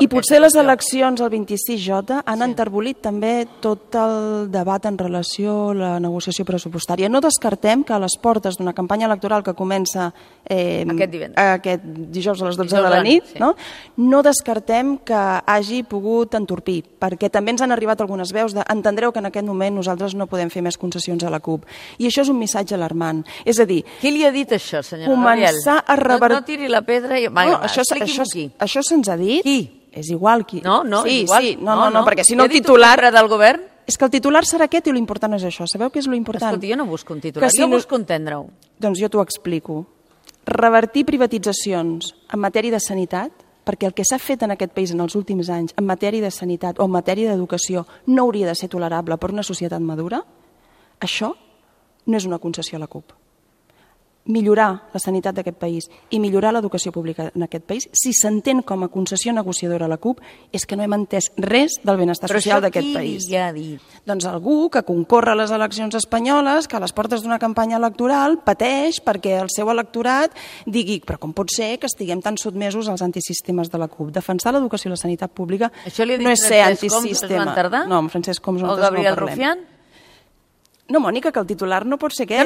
I potser les eleccions el 26J han enterbolit també tot el debat en relació a la negociació pressupostària. No descartem que a les portes d'una campanya electoral que comença aquest dijous a les 12 de la nit, no descartem que hagi pogut entorpir, perquè també ens han arribat algunes veus de entendreu que en aquest moment nosaltres no podem fer més concessions a la CUP. I això és un missatge alarmant. És a dir... Qui li ha dit això, senyora Gabriel? No tiri la pedra i... Expliqui'm qui. Això se'ns ha dit. Qui? És igual qui. No, és igual. Sí, no, perquè si no el titular... del govern? És que el titular serà aquest i l'important és això. Sabeu què és l'important? Escolti, jo no busco un titular, jo busco entendre-ho. Doncs jo t'ho explico. Revertir privatitzacions en matèria de sanitat, perquè el que s'ha fet en aquest país en els últims anys en matèria de sanitat o en matèria d'educació no hauria de ser tolerable per una societat madura, això no és una concessió a la CUP. Millorar la sanitat d'aquest país i millorar l'educació pública en aquest país, si s'entén com a concessió negociadora a la CUP, és que no hem entès res del benestar social d'aquest país. Però això qui li ha dit? Doncs algú que concorre a les eleccions espanyoles, que a les portes d'una campanya electoral pateix perquè el seu electorat digui però com pot ser que estiguem tan sotmesos als antisistemes de la CUP? Defensar l'educació i la sanitat pública no és ser antisistema. No, amb Francesc Homs o Gabriel Rufián? No, Mònica, que el titular no pot ser aquest.